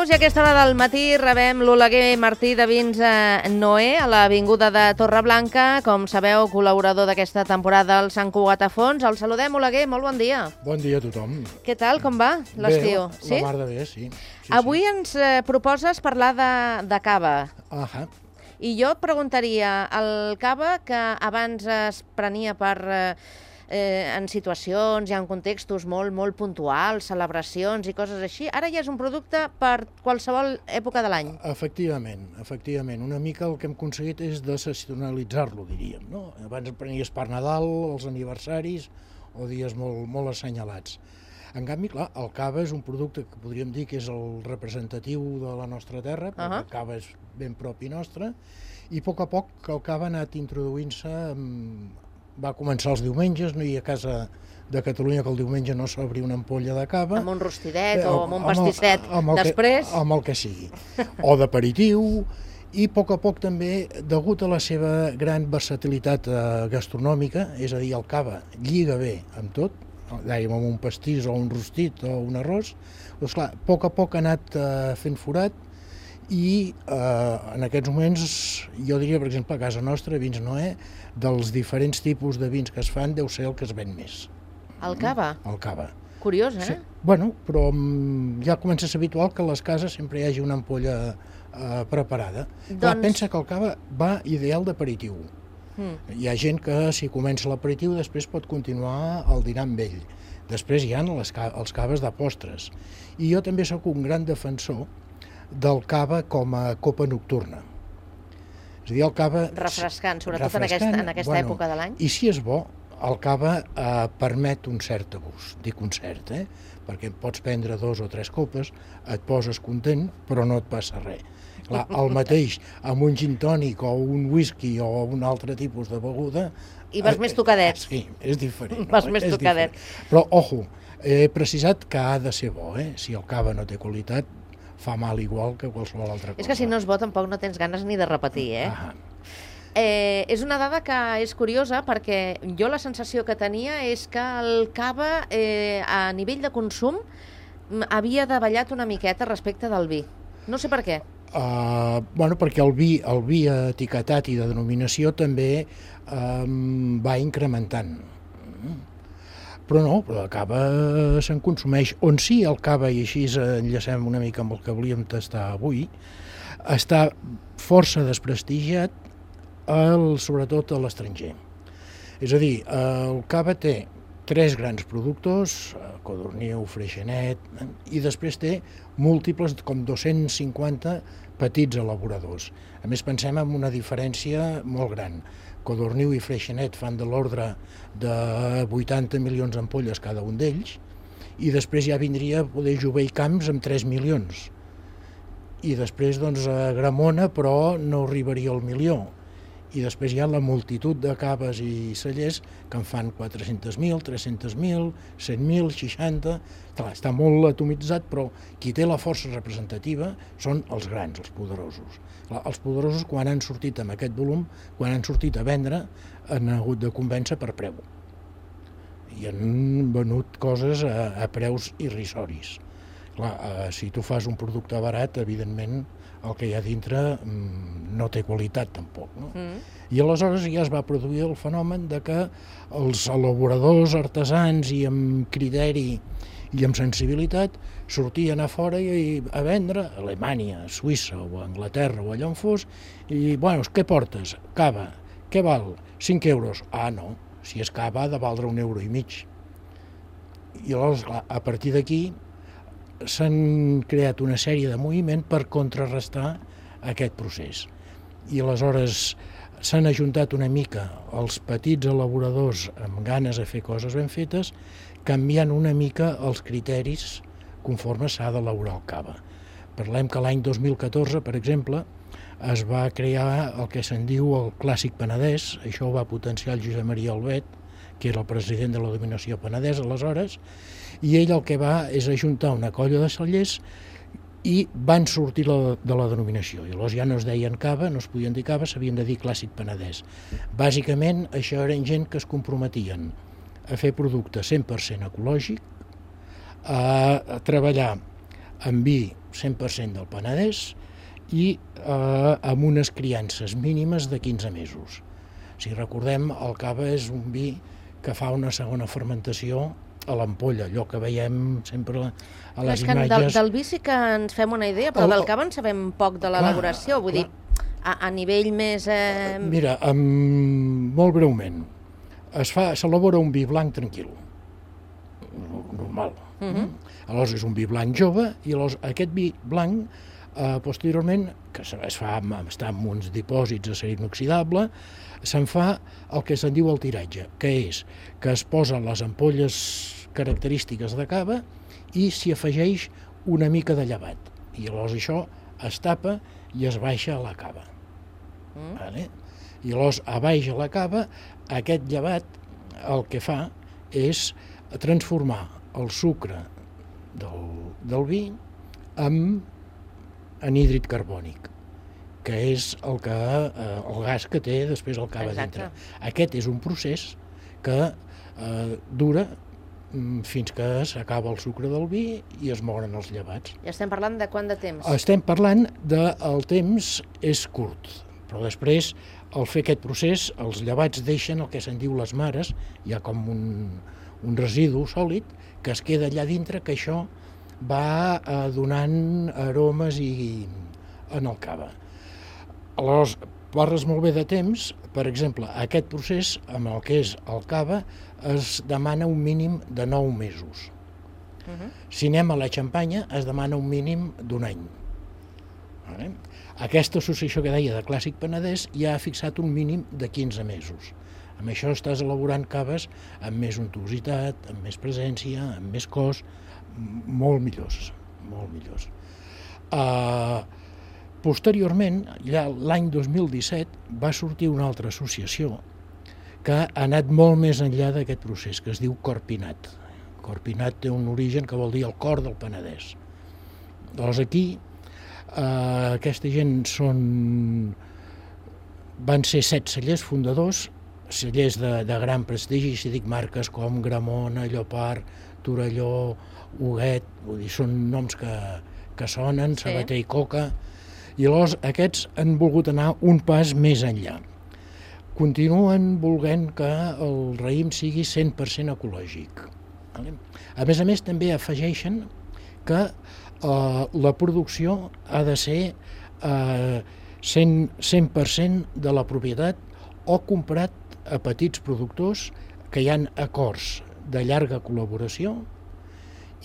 dijous i a aquesta hora del matí rebem l'Oleguer Martí de Vins Noé a l'Avinguda de Torreblanca. Com sabeu, col·laborador d'aquesta temporada al Sant Cugat a Fons. El saludem, Oleguer, molt bon dia. Bon dia a tothom. Què tal, com va l'estiu? Bé, la mar de bé, sí. Avui ens proposes parlar de cava. Ahà. I jo et preguntaria, el cava que abans es prenia en situacions i en contextos molt puntuals, celebracions i coses així, ara ja és un producte per qualsevol època de l'any. Efectivament. Una mica el que hem aconseguit és desestacionalitzar-lo, diríem, no? Abans el prenies per Nadal, els aniversaris o dies molt assenyalats. En canvi, clar, el cava és un producte que podríem dir que és el representatiu de la nostra terra, perquè el cava és ben propi nostre, i a poc el cava ha anat introduint-se. Va començar els diumenges, no hi ha casa de Catalunya que el diumenge no s'obri una ampolla de cava. Amb un rostidet o amb un pastisset després. Amb el que sigui. O d'aperitiu. I a poc també, degut a la seva gran versatilitat gastronòmica, és a dir, el cava lliga bé amb tot, dèiem amb un pastís o un rostit o un arròs, doncs clar, a poc ha anat fent forat i en aquests moments, jo diria, per exemple, a casa nostra, Vins Noé, dels diferents tipus de vins que es fan, deu ser el que es ven més. El cava? El cava. Curiós, eh? Sí. Bueno, però ja comença a ser habitual que a les cases sempre hi hagi una ampolla preparada. Clar, pensa que el cava va ideal d'aperitiu. Hi ha gent que, si comença l'aperitiu, després pot continuar el dinar amb ell. Després hi ha els caves de postres. I jo també sóc un gran defensor del cava com a copa nocturna. És a dir, el cava... Refrescant, sobretot en aquesta època de l'any. I si és bo, el cava permet un cert abús. Dic un cert, perquè pots prendre 2 o 3 copes, et poses content, però no et passa res. Clar, el mateix amb un gin tònic o un whisky o un altre tipus de beguda... I vas més tocadet. Sí, és diferent. Vas més tocadet. Però, ojo, he precisat que ha de ser bo, Si el cava no té qualitat, fa mal igual que qualsevol altra cosa. És que si no és bo tampoc no tens ganes ni de repetir, És una dada que és curiosa perquè jo la sensació que tenia és que el cava a nivell de consum havia davallat una miqueta respecte del vi. No sé per què. Perquè el vi etiquetat i de denominació també va incrementant. Però no, el cava se'n consumeix. On sí el cava, i així enllacem una mica amb el que volíem tastar avui, està força desprestigiat, sobretot a l'estranger. És a dir, el cava té 3 grans productors, Codorniu, Freixenet, i després té múltiples, com 250 petits elaboradors. A més, pensem en una diferència molt gran. Codorniu i Freixenet fan de l'ordre de 80 milions d'ampolles cada un d'ells, i després ja vindria poder Jové i Camps amb 3 milions. I després, doncs, Gramona, però no arribaria al milió. I després hi ha la multitud de caves i cellers que en fan 400.000, 300.000, 100.000, 60... Clar, està molt atomitzat, però qui té la força representativa són els grans, els poderosos. Els poderosos, quan han sortit amb aquest volum, quan han sortit a vendre, han hagut de convèncer per preu. I han venut coses a preus irrisoris. Clar, si tu fas un producte barat, evidentment, el que hi ha dintre no té qualitat tampoc. No? I aleshores ja es va produir el fenomen de que els elaboradors artesans i amb criteri i amb sensibilitat sortien a fora a vendre a Alemanya, a Suïssa o a Anglaterra o allà on fos, i, bueno, què portes? Cava. Què val? 5 euros. Ah, no, si és cava ha de valdre 1,5 €. I aleshores, clar, a partir d'aquí s'han creat una sèrie de moviments per contrarrestar aquest procés. I aleshores s'han ajuntat una mica els petits elaboradors amb ganes de fer coses ben fetes, canviant una mica els criteris conforme s'ha d'elaborar el cava. Parlem que l'any 2014, per exemple, es va crear el que se'n diu el Clàssic Penedès. Això ho va potenciar el Josep Maria Albet, que era el president de la Dominació Penedès aleshores, i ell el que va és ajuntar una colla de cellers i van sortir de la denominació. I llavors ja no es deien cava, no es podien dir cava, s'havien de dir Clàssic Penedès. Bàsicament, això eren gent que es comprometien a fer producte 100% ecològic, a treballar amb vi 100% del Penedès i amb unes criances mínimes de 15 mesos. Si recordem, el cava és un vi que fa una segona fermentació a l'ampolla, allò que veiem sempre a les imatges. Del vi sí que ens fem una idea, però del cava en sabem poc de l'elaboració, vull dir, a nivell més... Mira, molt breument, s'elabora un vi blanc tranquil, normal. Aleshores és un vi blanc jove i aquest vi blanc posteriorment, que està en uns dipòsits d'acer inoxidable, se'n fa el que se'n diu el tiratge, que és que es posen les ampolles característiques de cava i s'hi afegeix una mica de llevat. I llavors això es tapa i es baixa a la cava. I llavors, a baix a la cava, aquest llevat el que fa és transformar el sucre del vi en anhídrid carbònic, que és el gas que té després el cava dintre. Aquest és un procés que dura fins que s'acaba el sucre del vi i es moren els llevats. I estem parlant de quant de temps? Estem parlant del temps és curt, però després, al fer aquest procés, els llevats deixen el que se'n diu les mares, hi ha com un residu sòlid que es queda allà dintre, que això va donant aromes en el cava. Aleshores, parles molt bé de temps, per exemple, aquest procés, amb el que és el cava, es demana un mínim de 9 mesos. Si anem a la xampanya, es demana un mínim d'1 any. Aquesta associació que deia de Clàssic Penedès ja ha fixat un mínim de 15 mesos. Amb això estàs elaborant caves amb més untuositat, amb més presència, amb més cos, molt millors, molt millors. Posteriorment, ja l'any 2017, va sortir una altra associació que ha anat molt més enllà d'aquest procés, que es diu Corpinat. Corpinat té un origen que vol dir el cor del Penedès. Llavors aquí, aquesta gent van ser 7 cellers fundadors, cellers de gran prestigi, si dic marques com Gramona, Llopart, Torelló, Huguet, vull dir, són noms que sonen, Sabater i Coca, i llavors aquests han volgut anar un pas més enllà. Continuen volent que el raïm sigui 100% ecològic. A més, també afegeixen que la producció ha de ser 100% de la propietat o comprat a petits productors que hi ha acords de llarga col·laboració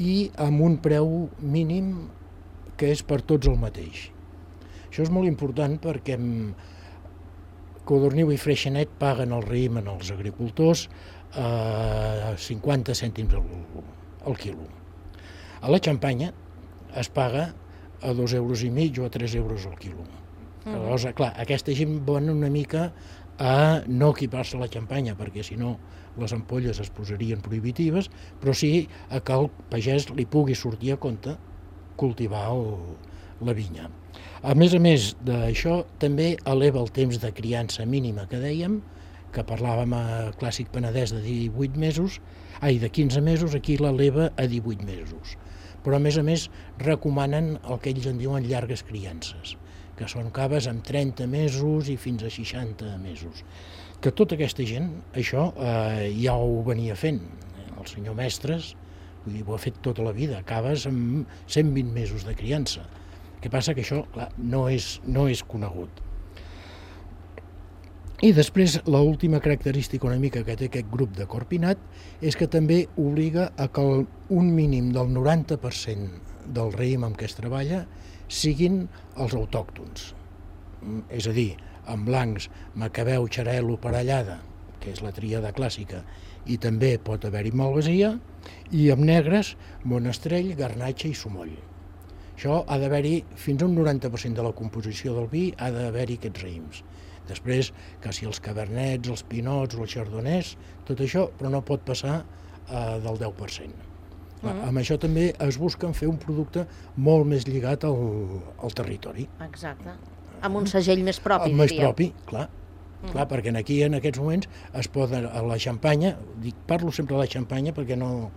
i amb un preu mínim que és per tots el mateix. Això és molt important perquè Codorniu i Freixenet paguen el raïm als agricultors a 50 cèntims al quilo. A la xampanya es paga a 2,5 € o a 3 € al quilo. Llavors, clar, aquesta gent van una mica a no equipar-se a la xampanya, perquè si no les ampolles es posarien prohibitives, però sí que al pagès li pugui sortir a compte cultivar la vinya. A més d'això, també eleva el temps de criança mínima que dèiem, que parlàvem a Clàssic Penedès de 18 mesos, de 15 mesos, aquí l'eleva a 18 mesos. Però a més recomanen el que ells en diuen llargues criances, que són caves amb 30 mesos i fins a 60 mesos. Que tota aquesta gent, això ja ho venia fent. El senyor Mestres ho ha fet tota la vida, caves amb 120 mesos de criança. El que passa que això, clar, no és conegut. I després, l'última característica una mica que té aquest grup de Corpinat és que també obliga a que un mínim del 90% del raïm amb què es treballa siguin els autòctons. És a dir, en blancs, Macabeu, Xarel·lo, Parellada, que és la tríada clàssica, i també pot haver-hi Malvasia, i amb negres, Monestrell, Garnatxa i Sumoll. Això ha d'haver-hi, fins a un 90% de la composició del vi, ha d'haver-hi aquests raïms. Després, que si els cabernets, els pinots o els chardonnays, tot això, però no pot passar del 10%. Amb això també es busca fer un producte molt més lligat al territori. Exacte. Amb un segell més propi, diríem. Més propi, clar. Clar, perquè aquí en aquests moments es poden, a la xampanya, parlo sempre de la xampanya perquè no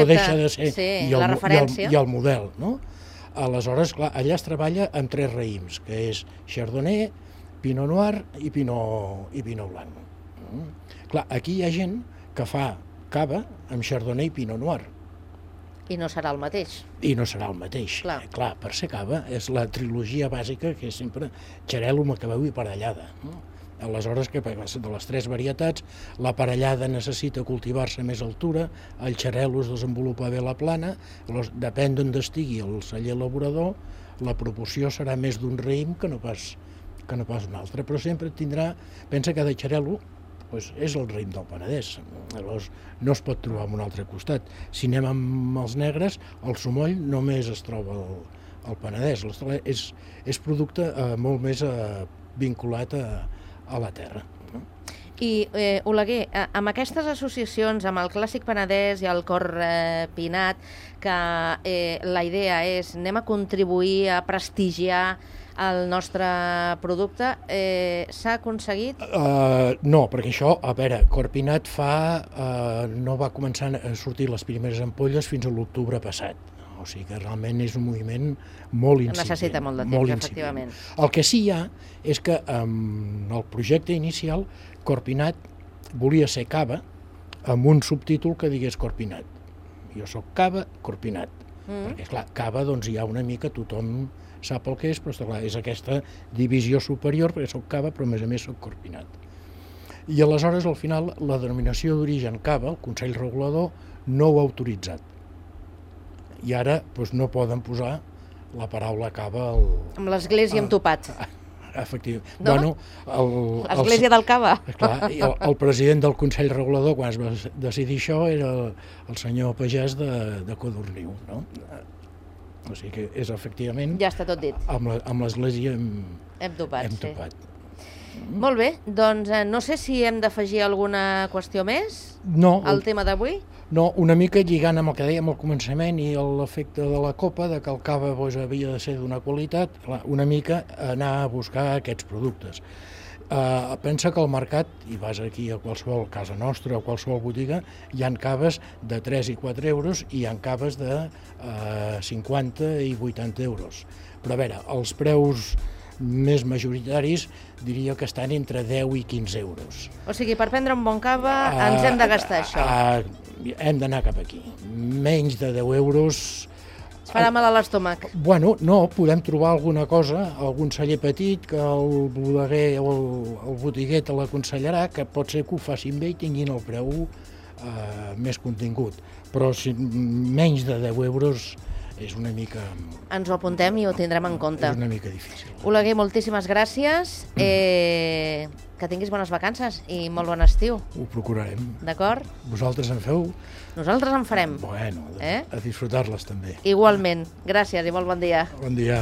deixa de ser la referència i el model, no? Aleshores, clar, allà es treballa amb 3 raïms, que és Chardonnay, Pinot Noir i Pinot Blanc. Clar, aquí hi ha gent que fa cava amb Chardonnay i Pinot Noir. I no serà el mateix. I no serà el mateix. Clar, per ser cava és la trilogia bàsica que és sempre xarel·lo, macabeu i parellada. Aleshores, que de les 3 varietats, la parellada necessita cultivar-se a més altura, el xarel·lo es desenvolupa bé a la plana, depèn d'on estigui el celler elaborador, la proporció serà més d'un raïm que no pas un altre, però sempre tindrà, pensa que cada xarel·lo és el raïm del Penedès, llavors no es pot trobar en un altre costat. Si anem amb els negres, el sumoll només es troba al Penedès, és producte molt més vinculat a la terra. I, Oleguer, amb aquestes associacions, amb el Clàssic Penedès i el Cor Pinat, que la idea és anem a contribuir a prestigiar el nostre producte, s'ha aconseguit? No, perquè això, a veure, Cor Pinat no va començar a sortir les primeres ampolles fins a l'octubre passat. O sigui que realment és un moviment molt incipient. Necessita molt de temps, efectivament. El que sí hi ha és que amb el projecte inicial Cor Pinat volia ser cava amb un subtítol que digués Cor Pinat. Jo soc cava, Cor Pinat. Perquè, esclar, cava doncs hi ha una mica, tothom sap el que és, però esclar, és aquesta divisió superior, perquè soc cava, però a més soc Cor Pinat. I aleshores, al final, la denominació d'origen cava, el Consell Regulador, no ho ha autoritzat. I ara no poden posar la paraula cava amb l'església amb topat. Efectivament. No? L'església del cava. Clar, el president del Consell Regulador, quan es va decidir això, era el senyor Pagès de Codorniu. No? O sigui que és efectivament... Ja està tot dit. Amb l'església hem topat. Sí. Molt bé, doncs no sé si hem d'afegir alguna qüestió més al tema d'avui. No, una mica lligant amb el que dèiem al començament i l'efecte de la copa, de que el cava havia de ser d'una qualitat, una mica anar a buscar aquests productes. Pensa que al mercat, i vas aquí a qualsevol casa nostra o qualsevol botiga, hi ha caves de 3 i 4 euros i hi ha caves de 50 i 80 euros. Però a veure, els preus més majoritaris diria que estan entre 10 i 15 euros. O sigui, per prendre un bon cava ens hem de gastar això. Hem d'anar cap aquí. Menys de 10 euros... Es farà mal a l'estómac. Bueno, no, podem trobar alguna cosa, algun celler petit que el bodeguer o el botiguer te l'aconsellarà, que pot ser que ho facin bé i tinguin el preu més contingut. Però menys de 10 euros és una mica... Ens ho apuntem i ho tindrem en compte. És una mica difícil. Oleguer, moltíssimes gràcies. Que tinguis bones vacances i molt bon estiu. Ho procurarem. D'acord? Vosaltres en feu? Nosaltres en farem. Bueno, a disfrutar-les també. Igualment. Gràcies i molt bon dia. Bon dia.